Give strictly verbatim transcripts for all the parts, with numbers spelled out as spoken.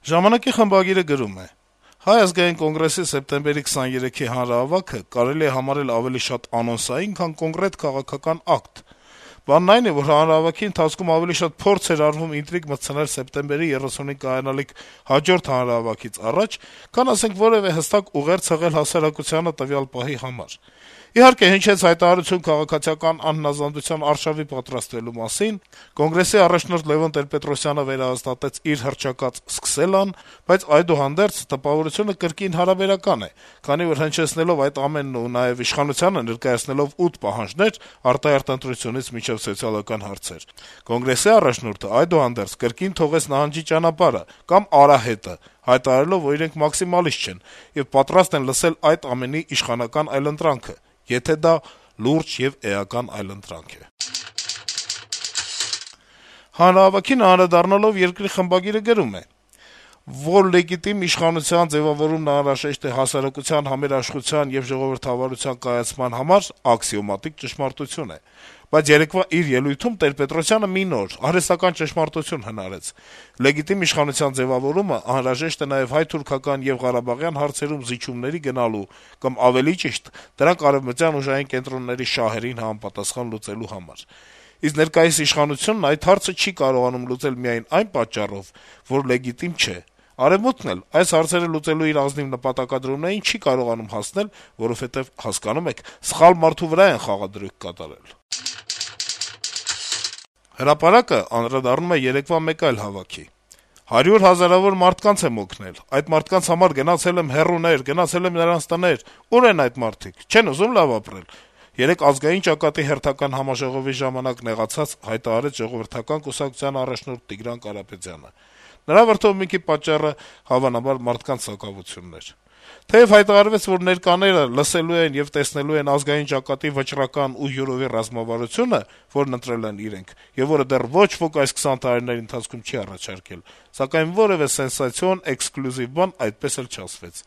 Ժամանակի խմբագիրը գրում է. - «Հայ ազգային կոնգրեսի սեպտեմբերի քսաներեքի հանրահավաքը կարելի է համարել ավելի շատ անոնսային, քան կոնկրետ քաղաքական ակտ: Բանն այն է, որ հանրահավաքի ընթացքում ավելի շատ փորձ էր արվում ինտրիգ մտցնել սեպտեմբերի երեսունին կայանալիք հաջորդ հանրահավաքից առաջ, քան, ասենք, որեւէ հստակ ուղերձ հղել հասարակությանը տվյալ պահի համար: Իհարկե, հնչեց հայտարարություն քաղաքացիական անհնազանդության արշավի պատրաստվելու մասին, Կոնգրեսի առաջնորդ Լեւոն Տեր-Պետրոսյանը վերահաստատեց իր հռչակած «սկսել»-ն, բայց այդուհանդերձ տպավորությունը կրկին հարաբերական է, քանի որ հնչեցնելով այդ ամենն ու նաեւ իշխանությանը ներկայացնելով ութ պահանջներ՝ արտահերթ ընտրությունից մինչեւ սոցիալական հարցեր, Կոնգրեսի առաջնորդը այդուհանդերձ կրկին թողեց նահանջի ճանապարհը կամ արահետը՝ հայտարարելով, որ իրենք մաքսիմալիստ չեն եւ պատրաստ են լսել այդ ամենի իշխանական այլընտրանքը, եթե դա լուրջ եւ էական այլընտրանք է»: Հանրահավաքին անդրադառնալով «Երկիր» խմբագիրը գրում է. - «Որ լեգիտիմ իշխանության ձեւավորումն անհրաժեշտ է հասարակության համերաշխության եւ ժողովրդավարության կայացման համար, աքսիոմատիկ ճշմարտություն է: Բայց երեկվա իր ելույթում Տեր-Պետրոսյանը մի նոր, արհեստական ճշմարտություն հնարեց. լեգիտիմ իշխանության ձեւավորումը անհրաժեշտ է նաեւ հայ-թուրքական եւ ղարաբաղյան հարցերում զիջումների գնալու կամ, ավելի ճիշտ, դրանք արեւմտյան ուժային կենտրոնների շահերին համապատասխան լուծելու համար: Իսկ ներկայիս իշխանությունն այդ հարցը չի կարողանում լուծել միայն այն պատճառով, որ լեգիտիմ չէ: Արեւմուտքն էլ այս հարցերը լուծելու իր ազնիվ նպատակադրումներին չի կարողանում հասնել, որովհետեւ, հասկանո՞ւմ եք, սխալ մարդու վրա են խաղադրույք կատարել»: «Հրապարակ»-ը անդրադառնում է երեկվա մեկ այլ հավաքի. - «Հարյուր հազարավոր մարդկանց եմ օգնել: Այդ մարդկանց համար գնացել եմ հեռուներ, գնացել եմ նրանց տներ: Ո՞ւր են այդ մարդիկ: Չե՞ն ուզում լավ ապրել»: Երեկ Ազգային ճակատի հերթական համաժողովի ժամանակ նեղացած հայտարարեց Ժողովրդական կուսակցության առաջնորդ Տիգրան Կարապետյանը: Նրա վրդովմունքի պատճառը, հավանաբար, մարդկանց սակավությունն էր: Թեեւ հայտարարվեց, որ ներկաները լսելու են եւ տեսնելու են Ազգային ճակատի վճռական ու հյուրովի ռազմավարությունը, որն ընտրել են իրենք, եւ որը դեռ ոչ ոք այս քսան տարիների ընթացքում չի առաջարկել, սակայն որեւէ սենսացիոն, էքսկլյուզիվ բան այդպես էլ չասվեց: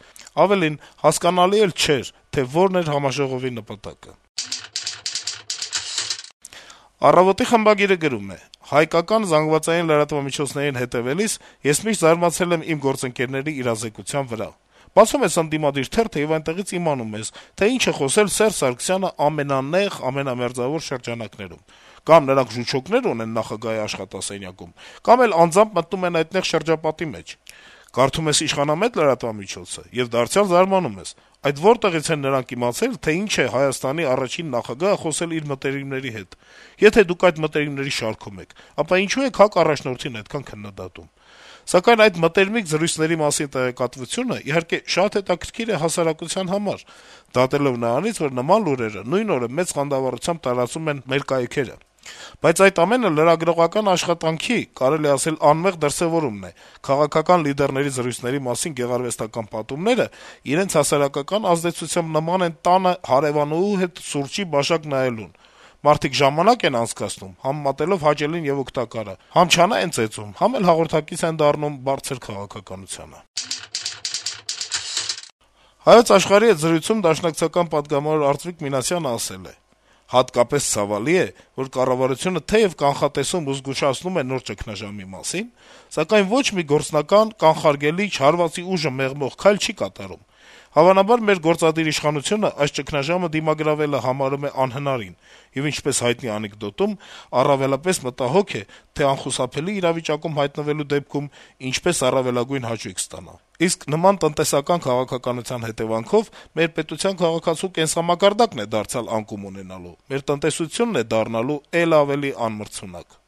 Ավելին, հասկանալի էլ չէր, թե որն էր համաժողովի նպատակը»: «Առավոտ»-ի խմբագիրը գրում է. - «Հայկական զանգվածային լրատվամիջոցներին հետեւելիս ես միշտ զարմացել եմ իմ գործընկերների իրազեկության վրա: Բացում ես ընդդիմադիր թերթը եւ այնտեղից իմանում ես, թե ինչ է խոսել Սերժ Սարգսյանը ամենանեղ, ամենամերձավոր շրջանակներում: Կամ նրանք ժուչոկներ ունեն նախագահի աշխատասենյակում, կամ էլ անձամբ մտնում են այդ նեղ շրջապատի մեջ: Կարդում ես իշխանամետ լրատվամիջոցը եւ դարձյալ զարմանում ես. այդ որտեղից են նրանք իմացել, թե ինչ է Հայաստանի առաջին նախագահը խոսել իր մտերիմների հետ: Եթե դուք այդ մտերիմների շարքում եք, ապա ինչո՞ւ եք ՀԱԿ առաջնորդին այդքան քննադատում: Սակայն այդ մտերմիկ զրույցների մասին տեղեկատվությունը, իհարկե, շատ հետաքրքիր է հասարակության համար, դատելով նրանից, որ նման լուրերը նույն օրը մեծ խանդավառությամբ տարածում են մեր կայքերը: Բայց այդ ամենը լրագրողական աշխատանքի, կարելի է ասել անմեղ դրսեւորումն է: Քաղաքական լիդերների զրույցների մասին գեղարվեստական պատումները իրենց հասարակական ազդեցությամբ նման են տանը հարեւանուհու հետ սուրճի բաժակ նայելուն: Մարդիկ ժամանակ են անցկացնում, համ մատելով հաճելին եւ օգտակարը, համ չանա են ծեծում, համ էլ հաղորդակից են դառնում բարձր քաղաքականությանը»: «Հայոց Աշխարհ»-ի հետ զրույցում դաշնակցական պատգամավոր Արծվիկ Մինասյանը ասել է. - «Հատկապես ցավալի է, որ կառավարությունը թեեւ կանխատեսում ու զգուշացնում է նոր ճգնաժամի մասին, սակայն ոչ մի գործնական, կանխարգելիչ, հարվածի ուժը մեղմող քայլ չի կատարում: Հավանաբար մեր գործադիր իշխանությունը այս ճգնաժամը դիմագրավելը համարում է անհնարին եւ, ինչպես հայտնի անեկդոտում, առավելապես մտահոգ է, թե անխուսափելի իրավիճակում հայտնվելու դեպքում ինչպես առավելագույն հաճույք ստանա: Իսկ նման տնտեսական քաղաքականության հետեւանքով մեր պետության քաղաքացու կենսամակարդակն է դարձյալ անկում ունենալու, մեր տնտեսությունն է դառնալու էլ ավելի անմրցունակ»: